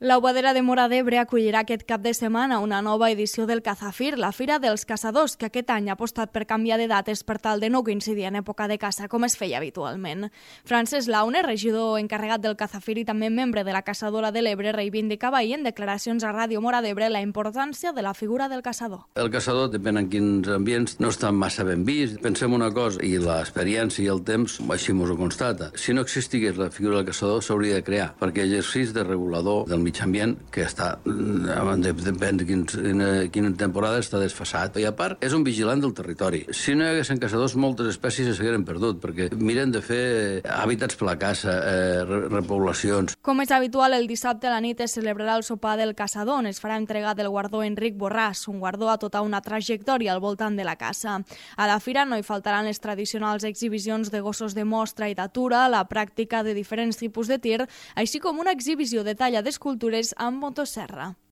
La Boadera de Móra d'Ebre acollirà aquest cap de setmana una nova edició del Cazafir, la Fira dels Caçadors, que aquest any ha apostat per canviar de dates per tal de no coincidir en època de caça, com es feia habitualment. Francesc Laune, regidor encarregat del Cazafir i també membre de la Caçadora de l'Ebre, reivindicava ahir en declaracions a Ràdio Móra d'Ebre la importància de la figura del caçador. El caçador, depèn en quins ambients, no està massa ben vist. Pensem una cosa, i l'experiència i el temps així ens ho constata. Si no existigués la figura del caçador, s'hauria de crear, perquè l'exercici de regulador del mig ambient, que està, depèn de quina temporada, està desfasat. I a part, és un vigilant del territori. Si no hi haguessin caçadors, moltes espècies s'hagueren perdut, perquè miren de fer hàbitats per la caça, repoblacions. Com és habitual, el dissabte a la nit es celebrarà el sopar del caçador, on es farà entrega del guardó Enric Borràs, un guardó a tota una trajectòria al voltant de la caça. A la fira no hi faltaran les tradicionals exhibicions de gossos de mostra i d'atura, la pràctica de diferents tipus de tir, així com una exhibició de talla d'escultures amb motosserra.